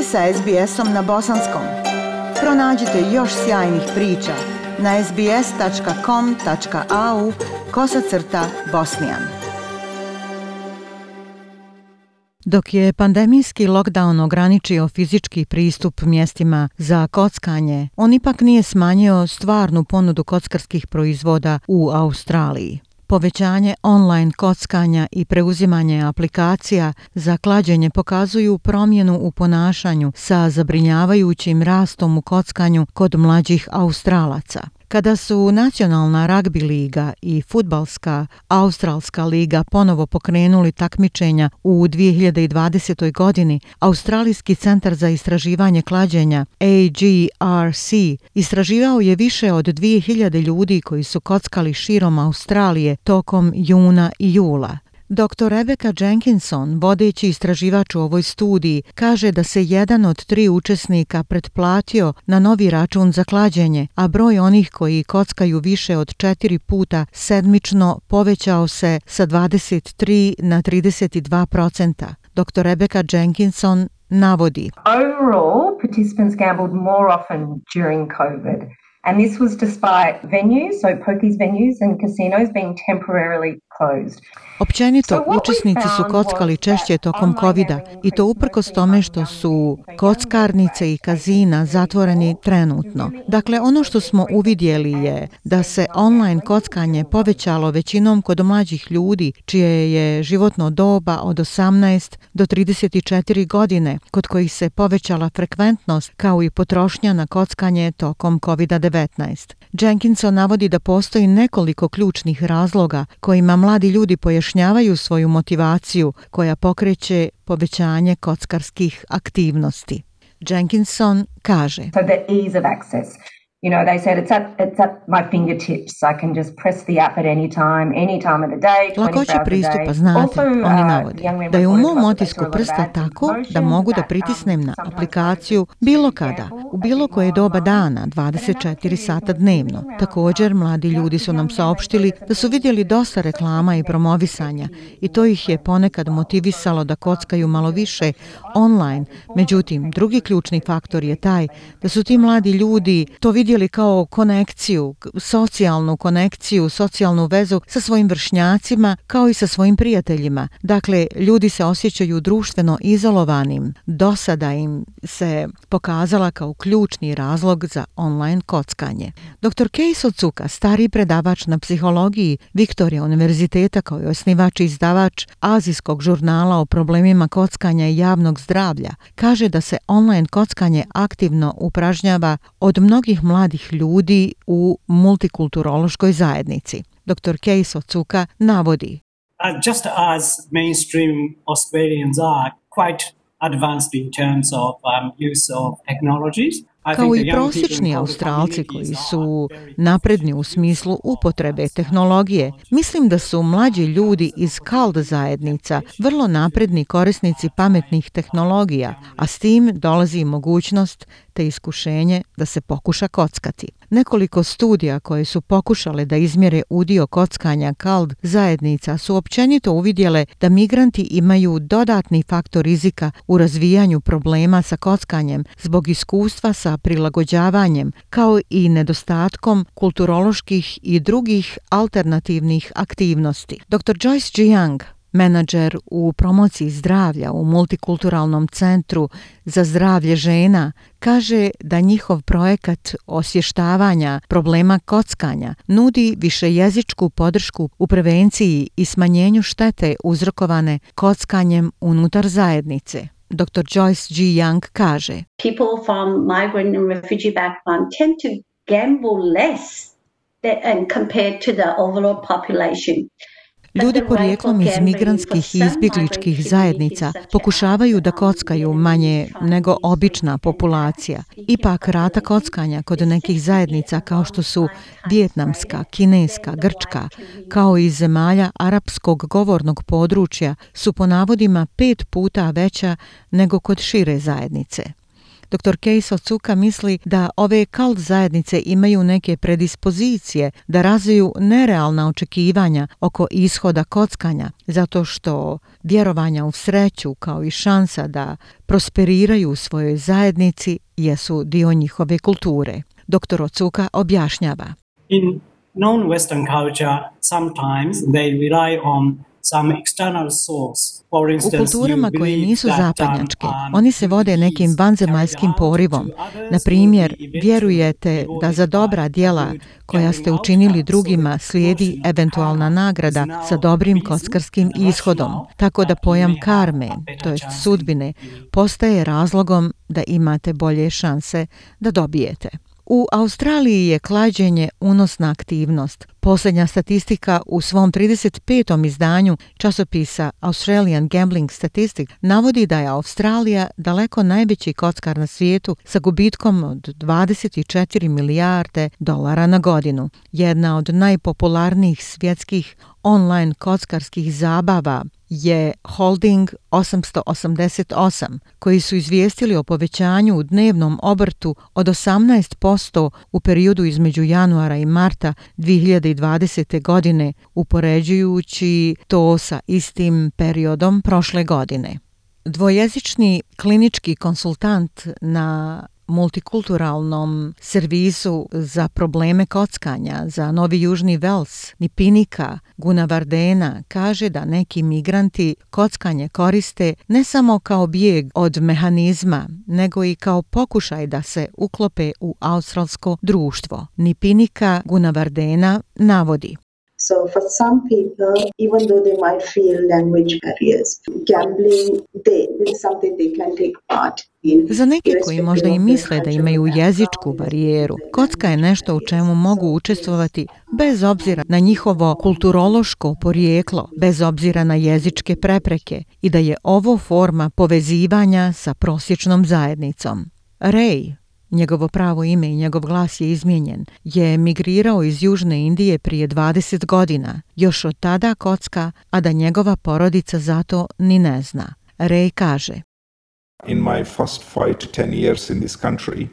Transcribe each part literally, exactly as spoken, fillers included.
ste sa es be esom na bosanskom. Pronađite još sjajnih priča na es be es tačka com tačka a u kosacrta bosnijan. Dok je pandemijski lockdown ograničio fizički pristup mjestima za kockanje, on ipak nije smanjio stvarnu ponudu kockarskih proizvoda u Australiji. Povećanje online kockanja i preuzimanje aplikacija za klađenje pokazuju promjenu u ponašanju sa zabrinjavajućim rastom u kockanju kod mlađih Australaca. Kada su Nacionalna ragbi liga i Fudbalska Australska liga ponovo pokrenuli takmičenja u dvije hiljade dvadesetoj. godini, Australijski centar za istraživanje klađenja A G R C istraživao je više od dvije hiljade ljudi koji su kockali širom Australije tokom juna i jula. doktor Rebecca Jenkinson, vodeći istraživač u ovoj studiji, kaže da se jedan od tri učesnika pretplatio na novi račun za klađenje, a broj onih koji kockaju više od četiri puta sedmično povećao se sa dvadeset tri na trideset dva posto. doktor Rebecca Jenkinson navodi: Overall, participants gambled more often during COVID. And this was despite venues, so pokies venues and casinos being temporarily closed. Općenito, učesnici su kockali češće tokom covida i to uprkos tome što su kockarnice i kazina zatvoreni trenutno. Dakle, ono što smo uvidjeli je da se online kockanje povećalo većinom kod mlađih ljudi čije je životno doba od osamnaest do trideset četiri godine, kod kojih se povećala frekventnost kao i potrošnja na kockanje tokom kovida devetnaest. Jenkinson navodi da postoji nekoliko ključnih razloga kojima mladi ljudi pojašnjavaju svoju motivaciju koja pokreće povećanje kockarskih aktivnosti. Jenkinson kaže: So the ease of access. You know, they said it's at it's at my fingertips. I can just press the app at any time, any time of the day, lakoća pristupa, znate, oni navode da je u mom otisku prsta tako da mogu da pritisnem na aplikaciju bilo kada, u bilo koje doba dana, dvadeset četiri sata dnevno. Također, mladi ljudi su nam saopštili da su vidjeli dosta reklama i promovisanja i to ih je ponekad motivisalo da kockaju malo više online. Međutim, drugi ključni faktor je taj da su ti mladi ljudi to vidjeli kao konekciju, socijalnu konekciju, socijalnu vezu sa svojim vršnjacima kao i sa svojim prijateljima. Dakle, ljudi se osjećaju društveno izolovanim. Do sada im se pokazala kao ključni razlog za online kockanje. doktor Keiso Tsuka, stari predavač na psihologiji Victoria univerziteta kao i osnivač i izdavač azijskog žurnala o problemima kockanja i javnog zdravlja, kaže da se online kockanje aktivno upražnjava od mnogih mladih ljudi u multikulturološkoj zajednici. doktor Keiso Tsuka navodi: Uh, just as mainstream Australians are quite advanced in terms of um, use of technologies. Kao i prosječni Australci koji su napredni u smislu upotrebe tehnologije, mislim da su mlađi ljudi iz cult zajednica vrlo napredni korisnici pametnih tehnologija, a s tim dolazi mogućnost te iskušenje da se pokuša kockati. Nekoliko studija koje su pokušale da izmjere udio kockanja cult zajednica su općenito uvidjele da migranti imaju dodatni faktor rizika u razvijanju problema sa kockanjem zbog iskustva sa prilagođavanjem, kao i nedostatkom kulturoloških i drugih alternativnih aktivnosti. doktor Joyce Jiang, menadžer u promociji zdravlja u Multikulturalnom centru za zdravlje žena, kaže da njihov projekat osvještavanja problema kockanja nudi višejezičku podršku u prevenciji i smanjenju štete uzrokovane kockanjem unutar zajednice. doktor Joyce G. Young kaže: People from migrant and refugee background tend to gamble less than compared to the overall population. Ljudi porijeklom iz migrantskih i izbjegličkih zajednica pokušavaju da kockaju manje nego obična populacija. Ipak rata kockanja kod nekih zajednica kao što su vijetnamska, kineska, grčka, kao i zemalja arapskog govornog područja su po navodima pet puta veća nego kod šire zajednice. doktor Keisa Otsuka misli da ove kult zajednice imaju neke predispozicije da razviju nerealna očekivanja oko ishoda kockanja, zato što vjerovanja u sreću kao i šansa da prosperiraju u svojoj zajednici jesu dio njihove kulture. doktor Otsuka objašnjava. In non-Western culture, sometimes they rely on some external source. For instance, U kulturama you koje believe nisu that, zapadnjačke, um, oni se vode nekim vanzemaljskim porivom. Na primjer, vjerujete da za dobra djela koja ste učinili drugima slijedi eventualna nagrada sa dobrim kockarskim ishodom, tako da pojam karme, to jest sudbine, postaje razlogom da imate bolje šanse da dobijete. U Australiji je klađenje unosna aktivnost. Posljednja statistika u svom trideset petom izdanju časopisa Australian Gambling Statistics navodi da je Australija daleko najveći kockar na svijetu sa gubitkom od dvadeset četiri milijarde dolara na godinu. Jedna od najpopularnijih svjetskih online kockarskih zabava je Holding osamsto osamdeset osam, koji su izvijestili o povećanju u dnevnom obrtu od osamnaest posto u periodu između januara i marta dvije hiljade dvadesete. godine, upoređujući to sa istim periodom prošle godine. Dvojezični klinički konsultant na multikulturalnom servisu za probleme kockanja za Novi Južni Vels, Nipinika, Gunavardena, kaže da neki migranti kockanje koriste ne samo kao bijeg od mehanizma, nego i kao pokušaj da se uklope u australsko društvo. Nipinika Gunavardena navodi. So for some people, even though they might feel language barriers, gambling they, is something they can take part in. Za neke koji možda i misle da imaju jezičku barijeru, kocka je nešto u čemu mogu učestvovati bez obzira na njihovo kulturološko porijeklo, bez obzira na jezičke prepreke i da je ovo forma povezivanja sa prosječnom zajednicom. Ray, njegovo pravo ime i njegov glas je izmijenjen, je migrirao iz Južne Indije prije dvadeset godina. Još od tada kocka, a da njegova porodica zato ni ne zna. Ray kaže. In my first five to ten years in this country,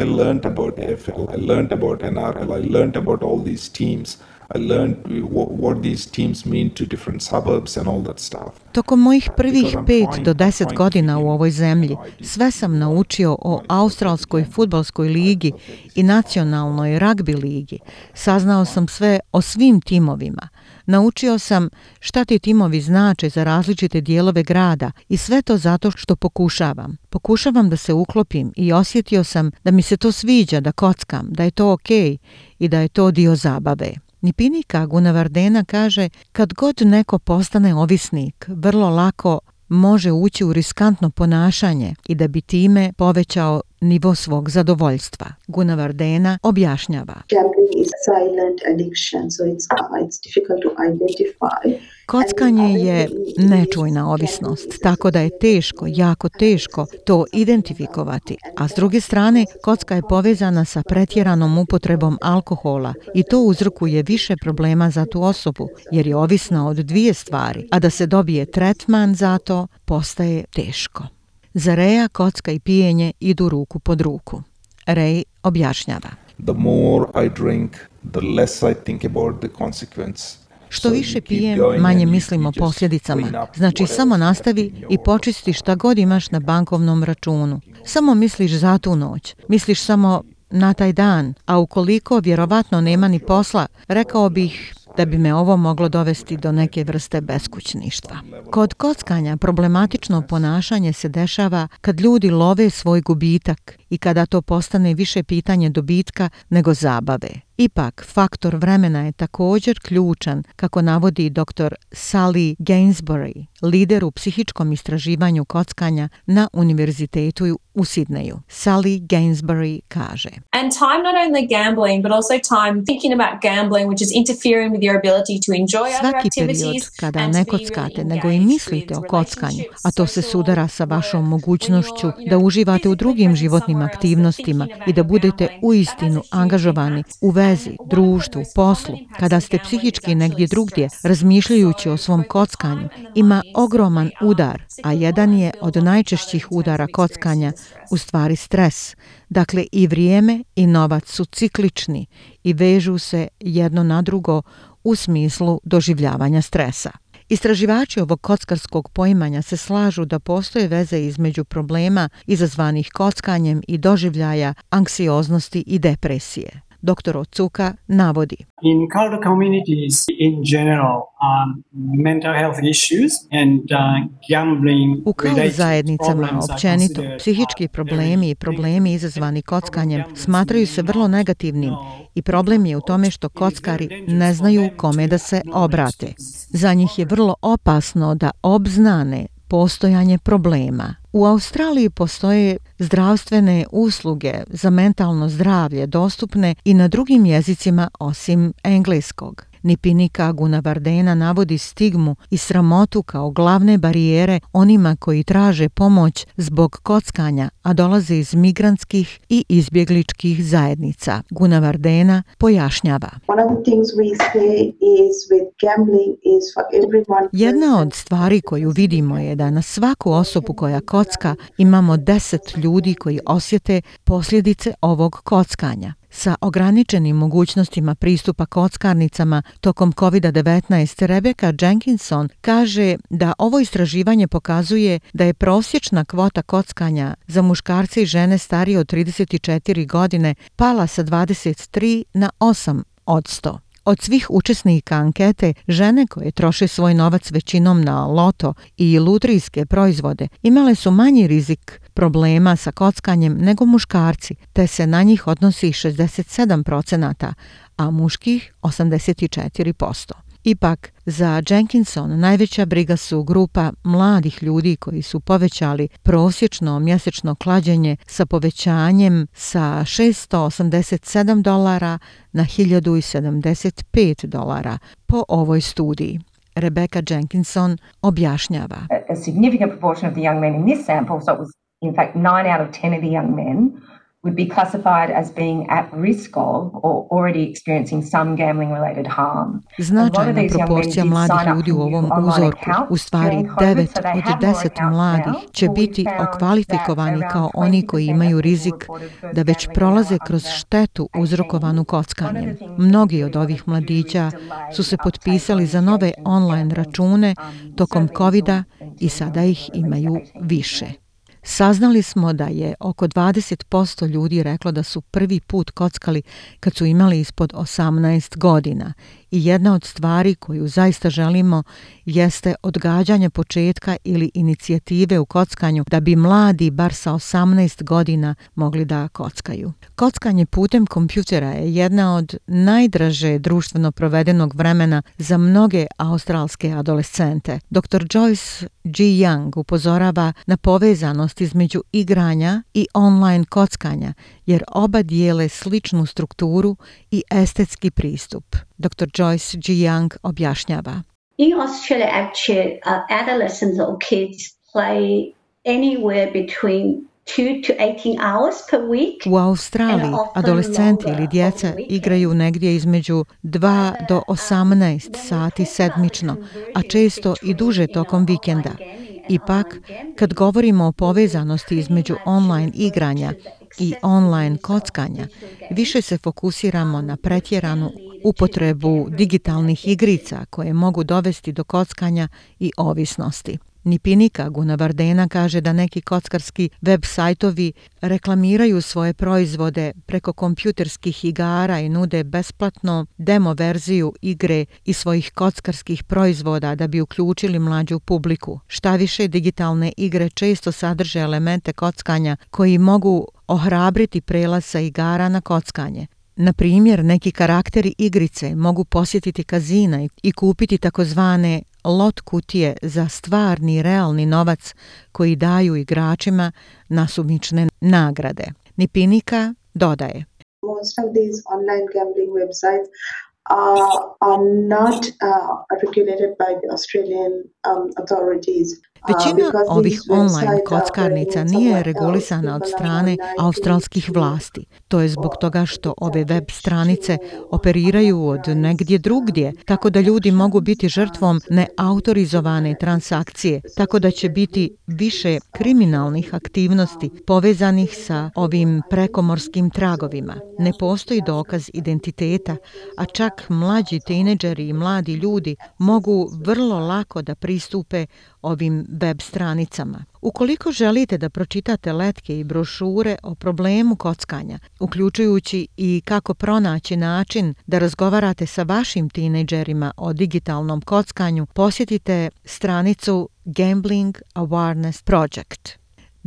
I learned about A F L, I learned about N R L, I learned about all these teams. I learned what, what these teams mean to different suburbs and all that stuff. Tokom mojih prvih pet do deset godina u ovoj zemlji sve sam naučio o australskoj fudbalskoj ligi i nacionalnoj ragbi ligi. Saznao sam sve o svim timovima. Naučio sam šta ti timovi znače za različite dijelove grada i sve to zato što pokušavam. Pokušavam da se uklopim i osjetio sam da mi se to sviđa, da kockam, da je to okej i da je to dio zabave. Nipinika Gunavardena kaže, kad god neko postane ovisnik, vrlo lako može ući u riskantno ponašanje i da bi time povećao nivo svog zadovoljstva. Gunavardena objašnjava. Gambling is a silent addiction, so it's, uh, it's difficult to identify. Kockanje je nečujna ovisnost, tako da je teško, jako teško to identifikovati. A s druge strane, kocka je povezana sa pretjeranom upotrebom alkohola i to uzrokuje više problema za tu osobu, jer je ovisna od dvije stvari, a da se dobije tretman za to postaje teško. Za Raya kocka i pijenje idu ruku pod ruku. Ray objašnjava. The more I drink, the less I think about the consequence. Što više pijem, manje mislim o posljedicama. Znači, samo nastavi i počisti šta god imaš na bankovnom računu. Samo misliš za tu noć. Misliš samo na taj dan. A ukoliko vjerovatno nema ni posla, rekao bih da bi me ovo moglo dovesti do neke vrste beskućništva. Kod kockanja problematično ponašanje se dešava kad ljudi love svoj gubitak i kada to postane više pitanje dobitka nego zabave. Ipak, faktor vremena je također ključan, kako navodi doktor Sally Gainsbury, lider u psihičkom istraživanju kockanja na univerzitetu u Sidneju. Sally Gainsbury kaže. And time not only gambling, but also time thinking about gambling, which is interfering with your ability to enjoy other Svaki activities. period kada ne kockate, nego i mislite o kockanju, a to se sudara sa vašom mogućnošću da uživate u drugim životnim aktivnostima i da budete uistinu angažovani u vezi, društvu, poslu, kada ste psihički negdje drugdje, razmišljajući o svom kockanju, ima ogroman udar, a jedan je od najčešćih udara kockanja u stvari stres. Dakle, i vrijeme i novac su ciklični i vežu se jedno na drugo u smislu doživljavanja stresa. Istraživači ovog kockarskog poimanja se slažu da postoje veze između problema izazvanih kockanjem i doživljaja anksioznosti i depresije. Doktor Otsuka navodi. In cultural communities in general, um, mental health issues and uh, gambling U kao zajednicama općenito, psihički problemi i problemi izazvani kockanjem smatraju se vrlo negativnim i problem je u tome što kockari ne znaju kome da se obrate. Za njih je vrlo opasno da obznane postojanje problema. U Australiji postoje zdravstvene usluge za mentalno zdravlje dostupne i na drugim jezicima osim engleskog. Nipinika Gunawardena navodi stigmu i sramotu kao glavne barijere onima koji traže pomoć zbog kockanja, a dolaze iz migrantskih i izbjegličkih zajednica. Gunawardena pojašnjava. Jedna od stvari koju vidimo je da na svaku osobu koja kocka imamo deset ljudi koji osjete posljedice ovog kockanja. Sa ograničenim mogućnostima pristupa kockarnicama tokom kovid devetnaest, Rebecca Jenkinson kaže da ovo istraživanje pokazuje da je prosječna kvota kockanja za muškarce i žene starije od trideset četiri godine pala sa dvadeset tri na osam odsto. Od svih učesnika ankete, žene koje troše svoj novac većinom na loto i lutrijske proizvode imale su manji rizik problema sa kockanjem nego muškarci, te se na njih odnosi šezdeset sedam procenata, a muških osamdeset četiri posto. Ipak, za Jenkinson najveća briga su grupa mladih ljudi koji su povećali prosječno mjesečno klađenje sa povećanjem sa šessto osamdeset sedam dolara na hiljadu sedamdeset pet dolara po ovoj studiji. Rebecca Jenkinson objašnjava. A significant proportion of the young men in this sample, so it was in fact nine out of ten of the young men, would be classified as being at risk of or already experiencing some gambling related harm. Značajna proporcija mladih ljudi u ovom uzorku, u stvari devet od deset mladih, će biti okvalifikovani kao oni koji imaju rizik da već prolaze kroz štetu uzrokovanu kockanjem. Mnogi od ovih mladića su se potpisali za nove online račune tokom kovida i sada ih imaju više. Saznali smo da je oko dvadeset posto ljudi reklo da su prvi put kockali kad su imali ispod osamnaest godina i jedna od stvari koju zaista želimo jeste odgađanje početka ili inicijative u kockanju da bi mladi bar sa osamnaest godina mogli da kockaju. Kockanje putem kompjutera je jedna od najdraže društveno provedenog vremena za mnoge australske adolescente. doktor Joyce G. Young upozorava na povezanost između igranja i online kockanja, jer oba dijele sličnu strukturu i estetski pristup. doktor Joyce G. Young objašnjava. In Australia, actually, uh, adolescents or kids play anywhere between two to eighteen hours per week. U Australiji adolescenti ili djeca igraju negdje između dva do osamnaest sati sedmično, a često i duže tokom vikenda. Ipak, kad govorimo o povezanosti između online igranja i online kockanja, više se fokusiramo na pretjeranu upotrebu digitalnih igrica koje mogu dovesti do kockanja i ovisnosti. Nipinika Gunawardena kaže da neki kockarski web sajtovi reklamiraju svoje proizvode preko kompjuterskih igara i nude besplatno demo verziju igre i svojih kockarskih proizvoda da bi uključili mlađu publiku. Šta više, digitalne igre često sadrže elemente kockanja koji mogu ohrabriti prelaz sa igara na kockanje. Na primjer, neki karakteri igrice mogu posjetiti kazina i kupiti takozvane lot kutije za stvarni realni novac koji daju igračima nasumične nagrade. Nipinika dodaje. Most of these online gambling websites are, are not uh, regulated by the Australian um, authorities. Većina ovih online kockarnica nije regulisana od strane australskih vlasti. To je zbog toga što ove web stranice operiraju od negdje drugdje, tako da ljudi mogu biti žrtvom neautorizovane transakcije, tako da će biti više kriminalnih aktivnosti povezanih sa ovim prekomorskim tragovima. Ne postoji dokaz identiteta, a čak mlađi tinejdžeri i mladi ljudi mogu vrlo lako da pristupe ovim web stranicama. Ukoliko želite da pročitate letke i brošure o problemu kockanja, uključujući i kako pronaći način da razgovarate sa vašim tinejdžerima o digitalnom kockanju, posjetite stranicu Gambling Awareness Project.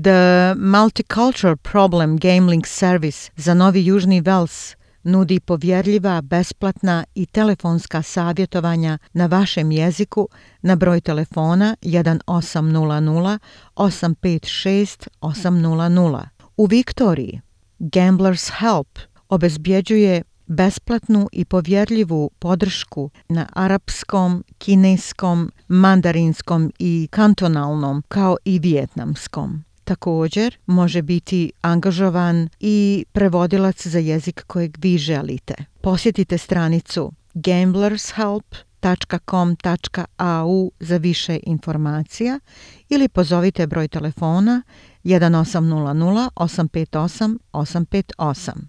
The Multicultural Problem Gambling Service za Novi Južni Vels nudi povjerljiva, besplatna i telefonska savjetovanja na vašem jeziku na broj telefona jedan osam nula nula osam pet šest osam nula nula. U Viktoriji Gamblers Help obezbjeđuje besplatnu i povjerljivu podršku na arapskom, kineskom, mandarinskom i kantonalnom, kao i vijetnamskom. Također može biti angažovan i prevodilac za jezik kojeg vi želite. Posjetite stranicu gamblers help dot com dot a u za više informacija ili pozovite broj telefona jedan osam nula nula osam pet osam osam pet osam.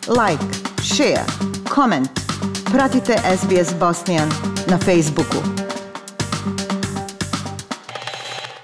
Like, share, comment. Pratite S B S Bosnian na Facebooku.